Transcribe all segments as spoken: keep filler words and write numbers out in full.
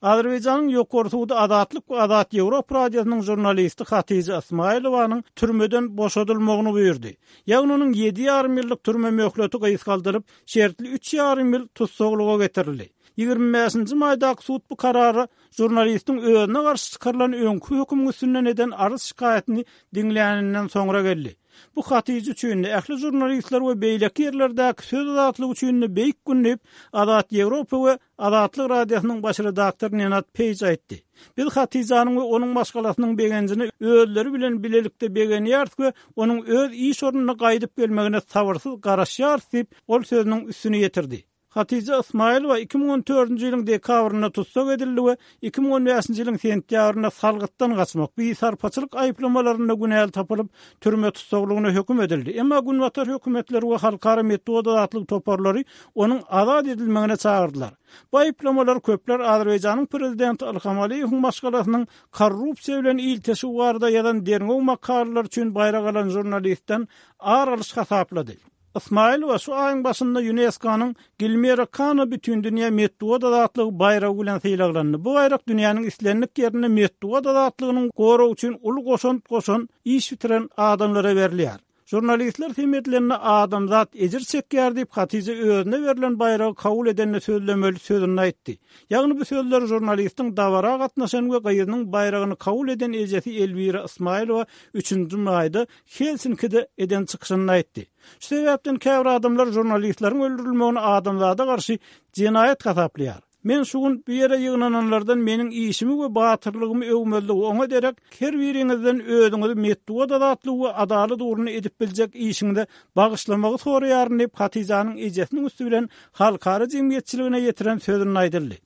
Azerbaýjanyň Ýokary sudy Azatlyk we Azat Ýewropa radiosynyň žurnalisti Hatija Ismailowanyň türmeden boşadylmagyny buýurdy. Ýagny onuň ýedi ýarym ýyllyk türme möhleti gysgaldylyp, şertli üç ýarym ýyl tussaglyga getirildi. Ýigrimi bäşinji maýdaky sud bu karara žurnalistiň özüne garşy çykarylan öňki hökümiň üstünden eden arz-şikaýatyny diňläninden soňra geldi. Bu Hatija üçin-de, ähli žurnalistler we beýleki ýerlerdäki söz azatlygy üçin-de beýik gün diýip, Azat Ýewropa we Azatlyk Radiosynyň baş redaktory Nenad Peýj aýtdy. Biz Hatijanyň we onuň maşgalasynyň begenjine özleri bilen bilelikde begenýäris we onuň öz iş ornuna gaýdyp gelmegine sabyrsyz garaşýarys diýip, ol sözüniň üstüni ýetirdi. Hatija Ismaýylowa iki müň on dördünji ýylyň dekabrynda tussag edildi we iki müň on bäşinji ýylyň sentýabrynda salgytdan gaçmak, bisarpaçylyk aýyplamalarynda günäli tapylyp, türme tussaglygyna höküm edildi. Emma günbatar hökümetleri we halkara metbugat azatlygy toparlary onuň azat edilmegine çagyrdylar. Bu aýyplamalar köpler Azerbaýjanyň prezidenti Ilham Aliýewiň maşgalasynyň korrupsiýa bilen ilteşigi barada ýazan derňew makalalary üçin baýrak alan žurnalistden ar alyş hasaplady. Ismaýylowa şu aýyň başynda Ýunesko-nyň Gilmero Kano Bütindünýä metbugat azatlygy baýragy bilen sylaglandy. Bu baýrak dünýäniň islendik ýerinde metbugat azatlygynyň goragy üçin uly goşant goşan, iş bitiren adamlara berilýär. Žurnalistler sem edilende adamzat ejir çekýär diýip, Hatija özüne berlen baýragy kabul edende sözlemeli sözünde aýtdy. Ýagny bu sözleri žurnalistiň dabara gatnaşan we gyzynyň baýragyny kabul eden ejesi Elwira Ismaýylowa üçünji maýda Helsinkide eden çykyşynda aýtdy. Şu sebäpden käbir adamlar žurnalistleriň öldürilmegini adamzada garşy jenaýat hasaplaýar. Men şu gün bu ýere ýygnananlardan meniň işimi we batyrlygymy öwmezligi oňa derek her biriňizden özüňizi metbugat azatlygy we adalat ugrunda edip biljek işiňize bagyşlamagy soraýaryn diýip, Hatijanyň ejesiniň üsti bilen halkara jemgyýetçiligine ýetiren sözünde aýdyldy.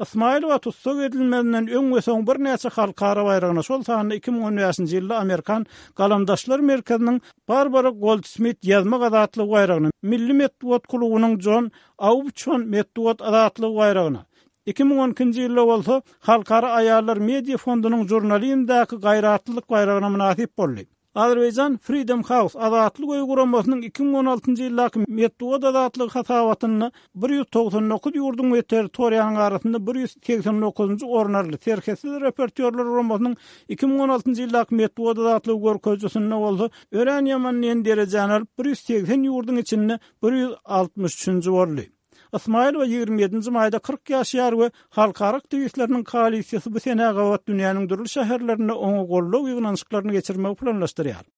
Ismaýylowa tussag edilmezinden öň we soň birnäçe halkara baýragyna, şol sanda iki müň on bäşinji ýylda Amerikan galamdaşlar merkeziniň Barbara Goldsmit ýazmak azatlygy baýragyna, Milli metbugat klubunyň Jon Aubçon metbugat azatlygy baýragyna, iki müň on ikinji ýylda bolsa Halkara aýallar media fondunyň žurnalizmdäki gaýratlylyk baýragyna mynasyp boldy. Azerbaýjan Freedom House Azatlyk öýi guramasynyň iki müň on altynjy ýyldaky metbugat azatlygy hasabatynda bir ýüz togsan dokuz ýurduň we territoriýanyň arasynda bir ýüz segsen dokuzynjy orun aldy. Serhetsiz reportýorlar guramasynyň iki müň on altynjy ýyldaky metbugat azatlygy görkezijisinde bolsa örän ýaman diýen derejäni alyp, bir ýüz segsen ýurduň içinde bir ýüz altmyş üçünji boldy. Ismaýylowa ýigrimi ýedinji maýda kyrk ýaşaýar we halkara aktiwistleriniň koalisiýasy bu senä gabat dünýäniň dürli şäherlerinde oňa goldaw ýygnanyşyklaryny geçirmegi planlaşdyrýar.